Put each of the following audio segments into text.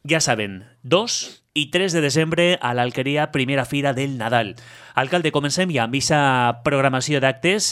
Ja saben, 2 i 3 de desembre a l'Alqueria, primera fira del Nadal. Alcalde, comencem ja amb aquesta programació d'actes,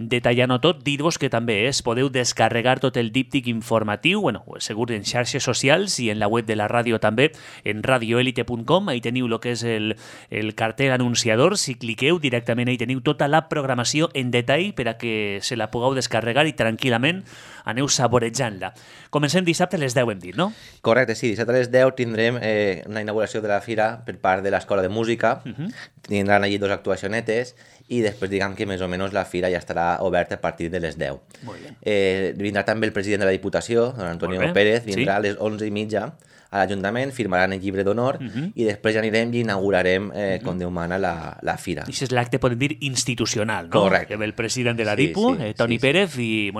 detallant-ho tot, dir-vos que també podeu descarregar tot el díptic informatiu, segur en xarxes socials i en la web de la ràdio també, en radioelite.com, ahí teniu el que és el cartell anunciador, si cliqueu directament ahí teniu tota la programació en detall per a que se la pugueu descarregar i tranquil·lament aneu saborejant-la. Comencem dissabte a les 10, hem dit, no? Correcte, sí, dissabte a les 10 tindrem una inauguració de la fira per part de l'Escola de Música, tindran allí 2 actuacionetes i després diguem que més o menys la fira ja estarà oberta a partir de les 10. Molt bé. Vindrà també el president de la Diputació, don Antonio Pérez, vindrà a les 11:30 a l'Ajuntament, firmaran el llibre d'honor i després ja anirem i inaugurarem, com Déu mana, la fira. I és l'acte, podem dir, institucional, no? Correcte. Que ve el president de la DIPU, Toni Pérez, i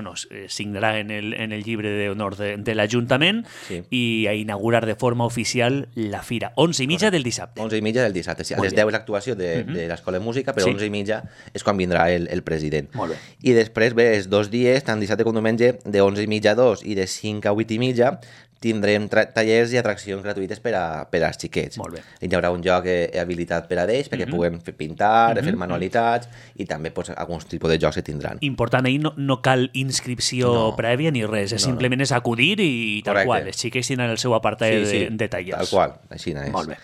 signarà en el llibre d'honor de l'Ajuntament i a inaugurar de forma oficial la fira. 11:30 del dissabte. 11:30 del dissabte, sí. A les 10 és l'actuació de l'Escola de Música, però 11:30 és quan vindrà el president. Molt bé. I després, els 2 dies, tant dissabte com diumenge, de 11:30 a 2 i de 5 a 8:30, tindrem tallers i atraccions gratuïtes per als xiquets. Molt bé. Hi haurà un lloc habilitat per a ells perquè puguen pintar, fer manualitats i també alguns tipus de jocs que tindran. Important, ahir no cal inscripció prèvia ni res, simplement és acudir i tal qual. Els xiquets tindran el seu apartat de tallers. Tal qual, així és. Molt bé.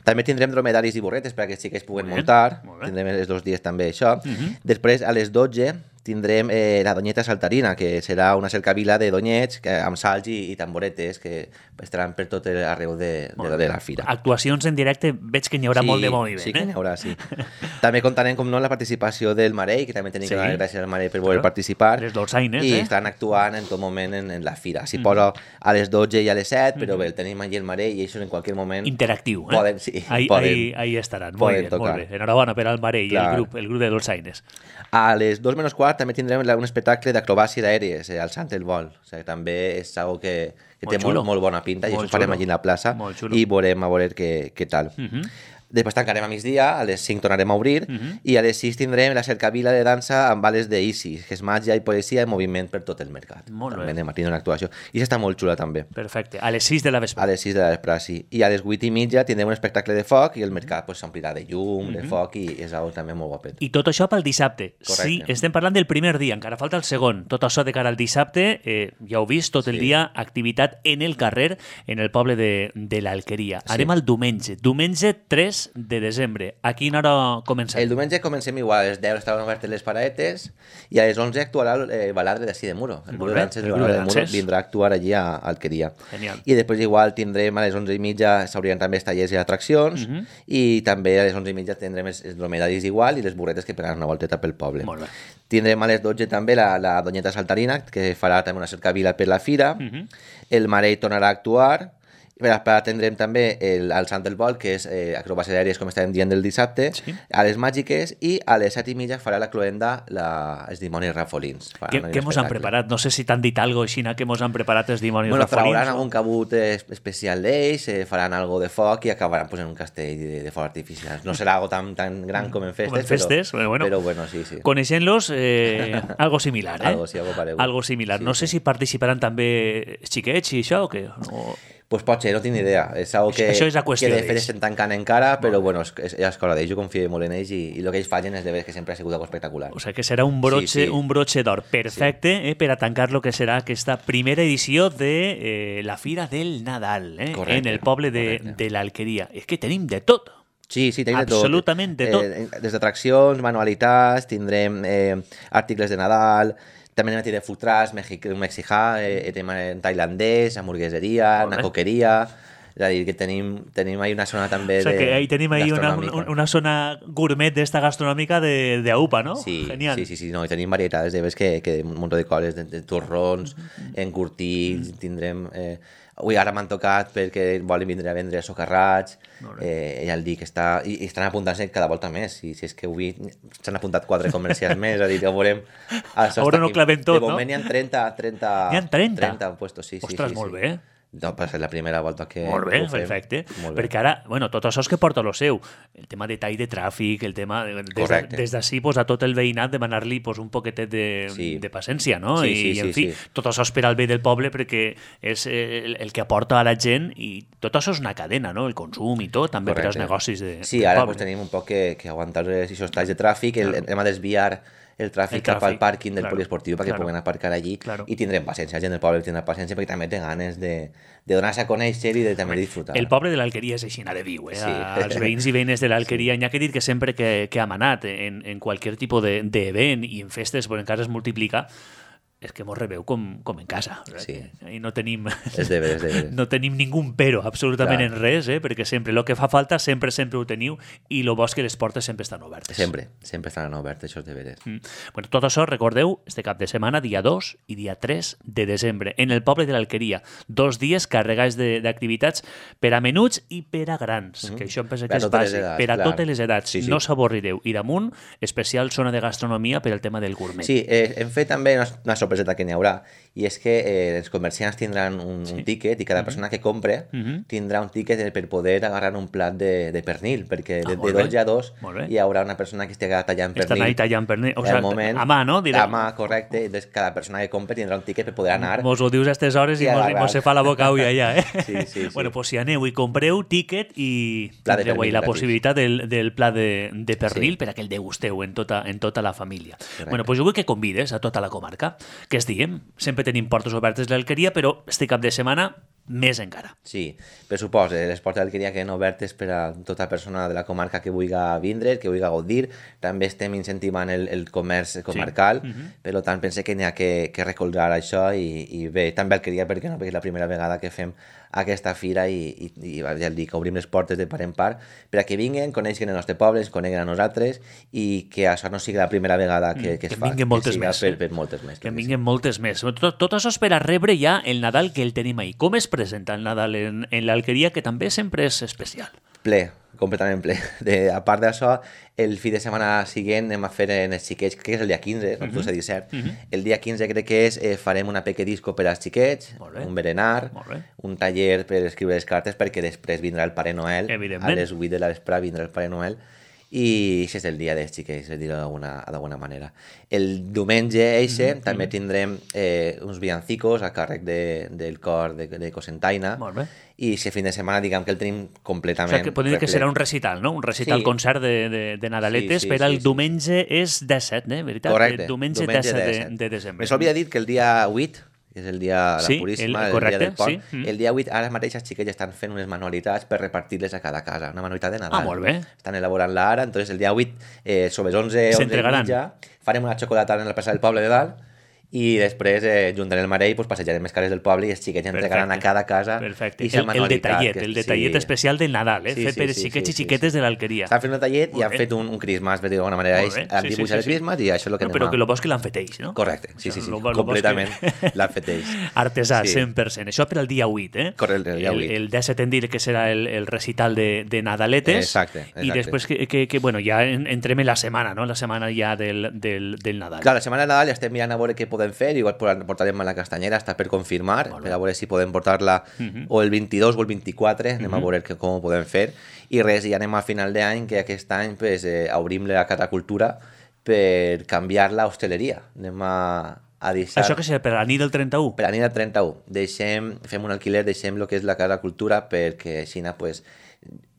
També tindrem dromedaris i burretes perquè els xiquets puguen muntar. Tindrem els 2 dies també això. Després, a les 12, tindrem la Doñeta Saltarina, que serà una cercavila de donyets amb salts i tamboretes que estaran per tot arreu de la fira. Actuacions en directe, veig que n'hi haurà molt de moviment. Sí, que n'hi haurà, sí. També comptarem, com no, amb la participació del Marei, que també tenim que donar gràcies al Marei per voler participar. Les dolçaines, I estan actuant en tot moment en la fira. S'hi posa a les 12 i a les 7, però bé, el tenim allí el Marei i això en qualsevol moment... Interactiu, Poden, sí. Ahí estaran. Molt bé. Enhorabona per al Marei i el grup de dolçaines. A les 2:15 també tindrem un espectacle d'acrobàcies aèries, al Sant el Vol. O sigui, també és algo que té molt bona pinta i això ho farem allí a la plaça i veurem a veure què tal. Després tancarem a migdia, a les 5 tornarem a obrir i a les 6 tindrem la cercavila de dansa amb bales d'Isis, que és màgia i poesia en moviment per tot el mercat. Molt bé. També anem a tindre una actuació. I això està molt xula també. Perfecte. A les 6 de la vesprada. A les 6 de la vesprada, sí. I a les 8:30 tindrem un espectacle de foc i el mercat s'omplirà de llum, de foc i és algo també molt guapet. I tot això pel dissabte. Correcte. Sí, estem parlant del primer dia, encara falta el segon. Tot això de cara al dissabte, ja heu vist, tot el dia activitat en el carrer, en el poble de l'Alqueria. Anem al diumenge. Diumenge 3 de desembre. A quina hora comencem? El diumenge comencem igual, a les 10 estaven obertes les paradetes i a les 11 actuarà el baladre d'ací de Muro. El grup de danses del baladre de Muro vindrà a actuar allí a Alqueria. Genial. I després igual tindrem a les 11:30 s'obriran també els tallers i atraccions i també a les 11:30 tindrem els dromedaris igual i les burretes que pegaran una volteta pel poble. Molt bé. Tindrem a les 12 també la Doñeta Saltarina, que farà també una cercavila per la fira. El Marei tornarà a actuar. Per tindrem també el Sant del Vol, que és acrobàcies aèries, com estàvem dient, del dissabte, a les màgiques, i a les 7:30 farà la cloenda els dimonis rafolins. Què mos han preparat? No sé si t'han dit alguna cosa així, que mos han preparat els dimonis rafolins. Trauran algun cabut especial d'ells, faran algo de foc i acabaran en un castell de foc artificial. No serà algo tan gran com en festes, però bueno, sí. Coneixent-los, algo similar, Algo similar. No sé si participaran també xiquets i això o què? Pues pot ser, no tinc ni idea. És algo que de fet estem tancant encara, però bueno, és escola d'ells, jo confio molt en ells i el que ells fallen és de veure que sempre ha sigut algo espectacular. O sigui que serà un broche d'or perfecte per a tancar el que serà aquesta primera edició de la Fira del Nadal en el poble de l'Alqueria. És que tenim de tot. Sí, tenim de tot. Absolutament de tot. Des d'atraccions, manualitats, tindrem articles de Nadal, també anem a tenir food trucks, mexicà, tailandès, hamburgueseria, una coqueria. És a dir, que tenim ahí una zona també o sigui que ahí tenim ahí una zona gourmet d'esta gastronòmica d'AUPA, no? Sí, genial. Sí, no, i tenim varietats de que un munt de coses, de torrons, encurtits, tindrem... Ui, ara m'han tocat perquè volen vindre a vendre socarrats, ja el dic, i estan apuntant-se cada volta més, si és que avui s'han apuntat 4 comercials més, és a dir, ja ho veurem. Ara no clavem tot, no? De moment n'hi ha 30. N'hi ha 30? 30 puestos, sí. Ostres, molt bé. No, va ser la primera volta que Molt bé, ho fem. perfecte. Molt bé. Perquè ara, bueno, tot això és que porta lo seu. El tema de tall de tràfic, el tema... Des d'ací, pues, a tot el veïnat demanar-li pues, un poquetet de paciència, no? I en fi, tot això és per al bé del poble perquè és el que aporta a la gent i tot això és una cadena, no? El consum i tot, també per als negocis del poble. Sí, ara pues, tenim un poc que aguantar aquests talls de tràfic, hem de desviar el tràfic cap al pàrquing del poliesportiu perquè puguen aparcar allí i tindrem paciència, la gent del poble tindrà paciència perquè també té ganes de donar-se a conèixer i de també disfrutar. El poble de l'Alqueria és així, de viu, eh? Els veïns i veïnes de l'Alqueria, n'hi ha que dir que sempre que hem anat en qualsevol tipus d'event i en festes, perquè encara es multiplica, és que mos rebeu com en casa. Sí. I no tenim... És de veres. No tenim ningú pero, absolutament en res, perquè sempre el que fa falta sempre ho teniu i el bo és que les portes sempre estan obertes. Sempre estan obertes, això és de veres. Bueno, tot això, recordeu, este cap de setmana, dia 2 i dia 3 de desembre, en el poble de l'Alqueria. 2 dies carregats d'activitats per a menuts i per a grans, que això em pensa que és bàsic, per a totes les edats. Sí. No s'avorrireu. I damunt, especial zona de gastronomia per al tema del gourmet. Sí, hem fet també una sorpreseta que n'hi haurà, i és que els comerciants tindran un tíquet i cada persona que compre tindrà un tíquet per poder agarrar un plat de pernil, perquè de 2 a 2 hi haurà una persona que estigui tallant pernil. Estan ahí tallant pernil. O sigui, moment, a mà, no? A mà, correcte. Entonces, cada persona que compre tindrà un tíquet per poder anar. Mos ho dius a aquestes hores i mos se fa la boca ull allà, eh? Sí. Bueno, pues si aneu i compreu tíquet i tindreu la possibilitat del plat de pernil per a que el degusteu en tota la família. Correcte. Bueno, pues jo vull que convides a tota la comarca, que es diem, sempre tenim portes obertes a l'Alqueria, però este cap de setmana més encara. Sí, per suposo, les portes d'Alqueria queden obertes per a tota persona de la comarca que vulgui vindre, que vulgui gaudir. També estem incentivant el comerç comarcal, per tant pense que n'hi ha que recolzar això i bé, també Alqueria, perquè no, perquè és la primera vegada que fem aquesta fira i ja dic, obrim les portes de part en part per a que vinguin, coneixen el nostre poble, ens coneguen a nosaltres i que això no sigui la primera vegada que es fa. Que vinguin moltes més. Per moltes més. Que vinguin moltes més. Tot això és per a rebre ja el Nadal que el tenim ahí. Com es presenta el Nadal en l'Alqueria, que també sempre és especial? Ple, completament ple. A part d'això, el fi de setmana següent anem a fer en els xiquets, crec que és el dia 15, no 17. El dia 15 crec que farem una peque disco per als xiquets, un berenar, un taller per escriure les cartes, perquè després vindrà el Pare Noel, a les 8 de la vesprada vindrà el Pare Noel, i això és el dia dels xiquets, per dir-ho d'alguna manera. El diumenge també tindrem uns villancicos a càrrec del cor de Cosentaina, i si fin de setmana diguem que el tenim completament... O sigui, que podem dir que serà un recital, no? Un recital concert de Nadaletes, però el diumenge és 17, veritat? Correcte. Diumenge 17 de desembre. Me s'olvida dir que el dia 8, que és el dia de la Puríssima, el dia del pont, el dia 8 ara mateix els xiquets estan fent unes manualitats per repartir-les a cada casa, una manualitat de Nadal. Molt bé. Estan elaborant-la ara, entonces el dia 8, sobre les 11 i mitja, farem una xocolatada en la plaça del poble de dalt, i després, junt amb el Marell, passejarem les cases del poble i els xiquets entregaran a cada casa aquesta manualitat. El detallet especial del Nadal, fet per xiquets i xiquetes de l'Alqueria. Estan fent un detallet i han fet un Christmas, per dir d'alguna manera. Han dibuixat el Christmas i això és el que anem a... Però que el bo és que l'han fet ells, no? Correcte, sí, completament l'han fet ells. Artesà, 100%. Això per al dia 8, eh? Correcte, el dia 8. El 17 en dir que serà el recital de Nadaletes. Exacte. I després que bueno, ja entrem en la setmana, no? La setmana ja del Nadal. Clar, la setmana de Nadal ja estem mirant a veure què podem fer, igual portarem a la Castanyera, està per confirmar, per a veure si podem portar-la o el 22 o el 24, anem a veure com ho podem fer, i res, ja anem a final d'any, que aquest any obrim la Catacultura per canviar la hostaleria. Anem a deixar... Això que serà per a la nit del 31? Per a la nit del 31. Fem un alquiler, deixem el que és la Catacultura perquè així, pues,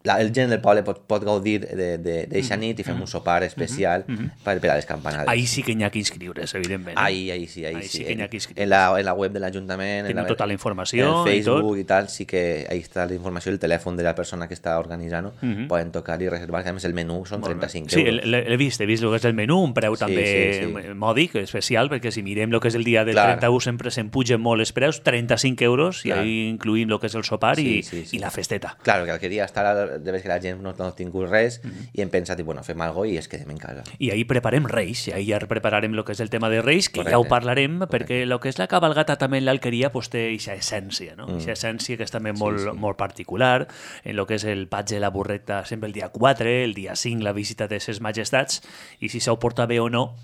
el gent del poble pot gaudir d'eixa nit i fem un sopar especial per a les campanades. Ahí sí que n'hi ha que inscriure's, evidentment. Ahí sí. Que n'hi ha que inscriure's. En la web de l'Ajuntament, tenim tota la informació, en Facebook i tal, sí que ahí està la informació, el telèfon de la persona que està organitzant, poden tocar i reservar, que a més el menú són 35 euros. Sí, l'he vist el que és el menú, un preu també mòdic, especial, perquè si mirem el que és el dia del 31 sempre se'n pugen molt els preus, 35 euros, i ahí incluïm el que és el sopar i la festeta. Claro, que queria estar, de vegades que la gent no ha tingut res i hem pensat, bueno, fem alguna cosa i es quedem en casa. I ahir preparem Reis, i ahir ja prepararem el que és el tema de Reis, que ja ho parlarem, perquè el que és la cabalgata també en l'Alqueria té aquesta essència, no? Aquesta essència que és també molt particular, en el que és el patge de la burreta sempre el dia 4, el dia 5 la visita de ses majestats, i si s'ho porta bé o no,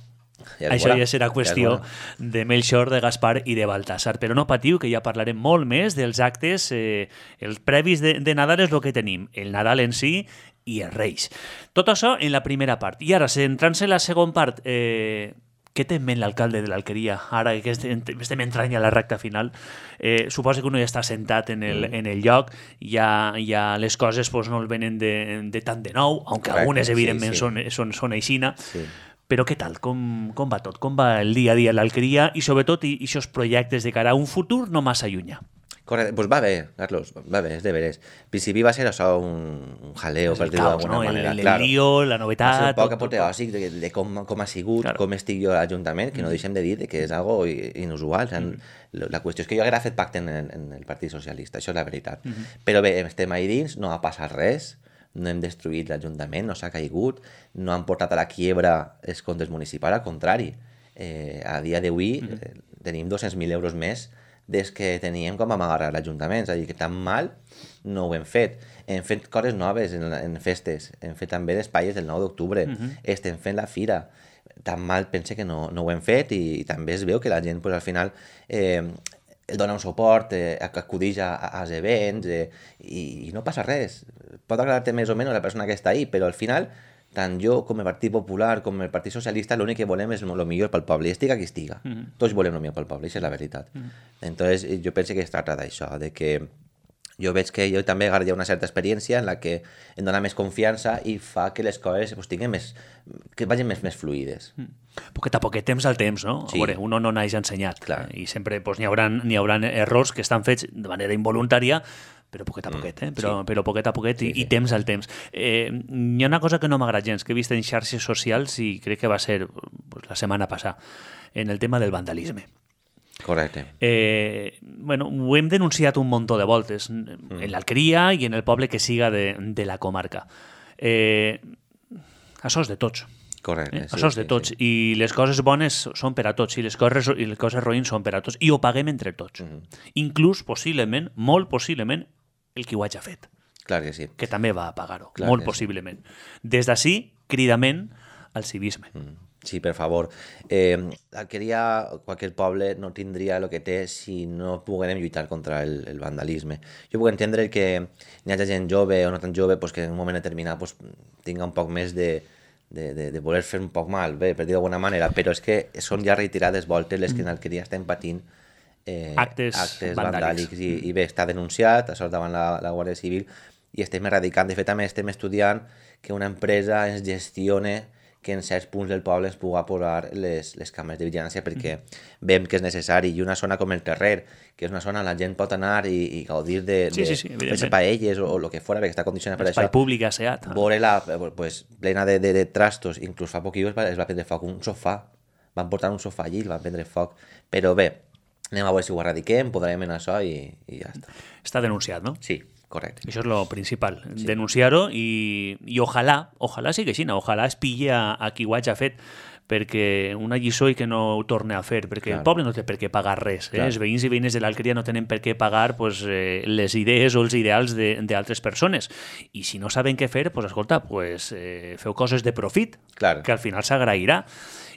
Això ja serà qüestió de Melchor, de Gaspar i de Baltasar. Però no patiu, que ja parlarem molt més dels actes. Els previs de Nadal és el que tenim. El Nadal en si i els Reis. Tot això en la primera part. I ara, centrant-se en la segona part, què té en ment l'alcalde de l'Alqueria? Ara que estem entrant a la recta final, suposo que uno ja està sentat en el lloc, ja les coses pues, no el venen de tant de nou, aunque algunes evidentment són aixina. Sí. Però què tal? Com va tot? Com va el dia a dia a l'Alqueria i sobretot aquests projectes de cara a un futur no massa llunyà? Correcte, doncs va bé, Carlos, va bé, és de veres. Al principi va ser això un jaleo, per dir-ho d'alguna manera. El lío, la novetat... Va ser un poc apoteòsic de com ha sigut, com estic jo a l'Ajuntament, que no deixem de dir que és algo inusual. La qüestió és que jo haguera fet pacte en el Partit Socialista, això és la veritat. Però bé, estem ahí dins, no ha passat res, no hem destruït l'Ajuntament, no s'ha caigut, no han portat a la quiebra els comptes municipals, al contrari. A dia d'avui tenim 200.000 euros més des que teníem com vam agarrar l'Ajuntament, és a dir, que tan mal no ho hem fet. Hem fet coses noves en festes, hem fet també les palles del 9 d'octubre, estem fent la fira, tan mal pense que no ho hem fet i també es veu que la gent pues, al final el dona un suport, acudix als events i no passa res. Pot agradar-te més o menys la persona que està ahí, però al final, tant jo com el Partit Popular com el Partit Socialista, l'únic que volem és el millor pel poble, i estiga qui estiga. Tots volem el millor pel poble, això és la veritat. Entonces, jo penso que es tracta d'això, de que jo veig que jo també he una certa experiència en la que em dona més confiança i fa que les coses pues, que vagin més fluides. Poquet a poquet, temps al temps, no? Sí. A veure, uno no naix ensenyat. Clar. I sempre pues, n'hi haurà errors que estan fets de manera involuntària, però poquet a poquet, però poquet a poquet i temps al temps. Hi ha una cosa que no m'agrada gens, que he vist en xarxes socials i crec que va ser pues, la setmana passada, en el tema del vandalisme. Correcte. Bueno, ho hem denunciat un munt de voltes en l'Alqueria i en el poble que siga de la comarca. Això és de tots. Correcte. Això és de tots. I les coses bones són per a tots i les coses roïns són per a tots. I ho paguem entre tots. Inclús, possiblement, molt possiblement, el qui ho hagi fet. Clar que sí. Que també va a pagar-ho, molt possiblement. Des d'ací, cridament al civisme. Sí, per favor. L'Alqueria, qualsevol poble, no tindria el que té si no poguérem lluitar contra el vandalisme. Jo puc entendre que hi hagi gent jove o no tan jove pues, que en un moment determinat pues, tinga un poc més de voler fer un poc mal, bé, per dir d'alguna manera, però és que són ja retirades voltes les que en l'Alqueria estem patint actes vandàlics. I bé, està denunciat, això davant la Guàrdia Civil, i estem eradicant. De fet, també estem estudiant que una empresa ens gestione que en certs punts del poble es pugui posar les càmeres de vigilància perquè veiem que és necessari. I una zona com el Terrer, que és una zona on la gent pot anar i gaudir de fer paelles o el que fos, perquè està condicionat per això. Espai públic asseat. Veure-la pues, plena de trastos. Inclús fa poc es va prendre foc un sofà. Van portar un sofà allí i el van prendre foc. Però bé, anem a veure si ho erradiquem, podrem anar això i ja està. Està denunciat, no? Sí. Correcte. Això és lo principal, denunciar-ho i ojalà sigui així, ojalà es pille a qui ho hagi fet, perquè una lliçó i que no ho torni a fer, perquè el poble no té per què pagar res. Els veïns i veïnes de l'Alqueria no tenen per què pagar pues, les idees o els ideals d'altres persones. I si no saben què fer, pues, escolta, pues, feu coses de profit, que al final s'agrairà.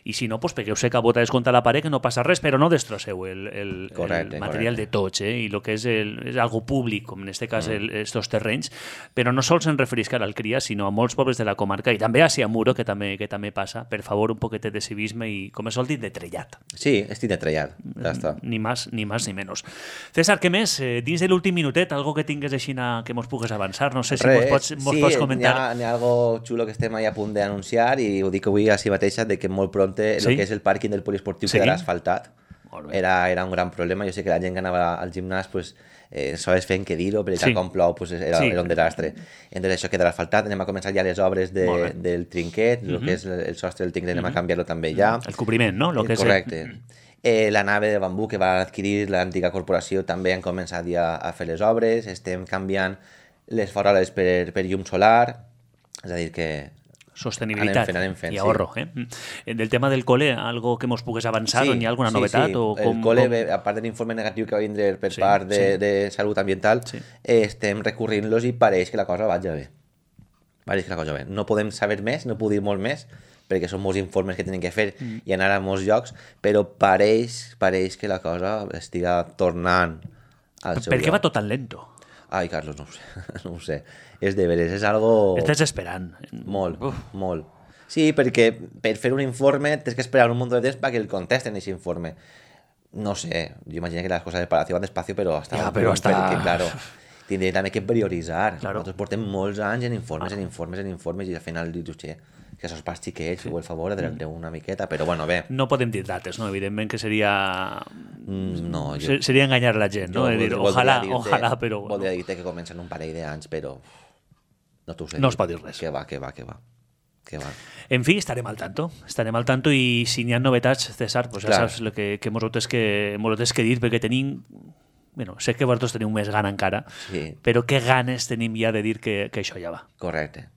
I si no, pues, pegueu-se cabotes contra la paret, que no passa res, però no destrosseu el material de tots, i el que és algo públic, com en aquest cas estos terrenys, però no sols en referisc a l'Alqueria, sinó a molts pobles de la comarca, i també a Siamuro, que també passa. Per favor, un poquetet de civisme i, com es sol dir, de trellat. Sí, estic de trellat, ja està. Ni más ni menos. César, què més? Dins de l'últim minutet, algo que tingues així que mos pugues avançar? No sé si mos pots comentar. N'hi ha algo xulo que estem a punt d'anunciar i ho dic avui així mateixa, de que molt pront el que és el pàrquing del poliesportiu quedarà asfaltat. Era un gran problema. Jo sé que la gent que anava al gimnàs pues, sols feien que dir-ho, perquè com plou pues, era un desastre. Entonces això quedarà asfaltat. Anem a començar ja les obres del trinquet, el que és el sostre del trinquet, anem a canviar-lo també ja. El cobriment, no? Correcte. La nave de bambú que va adquirir l'antiga corporació també han començat ja a fer les obres. Estem canviant les faroles per llum solar, és a dir que sostenibilitat i ahorro. Del tema del cole, algo que mos pugues avançar, on hi ha alguna novetat? El cole, a part de l'informe negatiu que va vindre per part de Salut Ambiental, estem recorrint-los i pareix que la cosa vaja bé. Va dir que la cosa bé. No podem saber més, no puc dir molt més, perquè són molts informes que tenen que fer i anar a molts llocs, però pareix que la cosa estiga tornant al seu lloc. Per què va tot tan lento? Ai, Carlos, no ho sé. No ho sé. És de veres, és algo... És desesperant. Molt, molt. Sí, perquè per fer un informe tens que esperar un munt de temps perquè el contesten aquest informe. No sé, jo imagino que les coses del Palacio van despacio, però hasta... Ja, però hasta... Perquè, claro, tindré també que prioritzar. Claro. Nosaltres portem molts anys en informes i al final dius, que sos pas xiquets, feu el favor de una miqueta, però bueno, bé. No podem dir dates, no? Evidentment que seria... No, seria enganyar la gent, no? Dir, ojalà, però... Voldria dir-te que comencen un parell d'anys, però... No t'ho sé. No es pot dir res. Que va. En fi, estarem al tanto i si n'hi ha novetats, César, pues ja saps el que mos ho tens que dir, perquè tenim... Bueno, sé que vosaltres teniu més gana encara, però què ganes tenim ja de dir que això ja va. Correcte.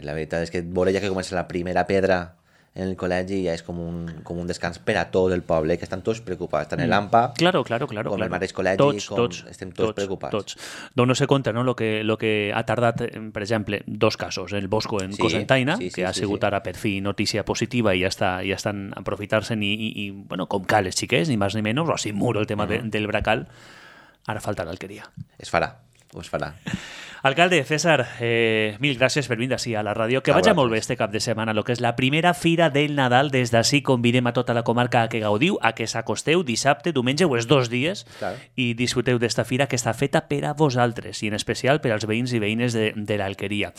La veritat és que veure ja que comença la primera pedra en el col·legi ja és com un descans per a tot el poble, que estan tots preocupats. Tant l'AMPA com el mateix col·legi, estem tots preocupats. Tots. Dono-se compte, no?, lo que ha tardat, per exemple, 2 casos. El Bosco en Cocentaina, que ha sigut ara per fi notícia positiva i ja estan aprofitant-se'n i, bueno, com cal els xiquets, ni més ni menys, o així muro el tema del Bracal. Ara falta l'alqueria. Es farà. Alcalde, César, mil gràcies per venir així a la ràdio. Que vagi molt bé este cap de setmana, el que és la primera fira del Nadal. Des d'ací convidem a tota la comarca a que gaudiu, a que s'acosteu dissabte, diumenge o els 2 dies i disfruteu d'esta fira que està feta per a vosaltres i en especial per als veïns i veïnes de l'Alqueria.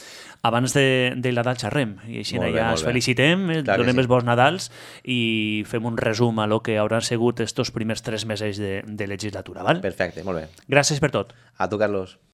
Abans del Nadal xerrem i així ja ens felicitem, donem els bons Nadals i fem un resum a lo que hauran sigut estos primers 3 mesos de legislatura. Val? Perfecte, molt bé. Gràcies per tot. A tu, Carlos.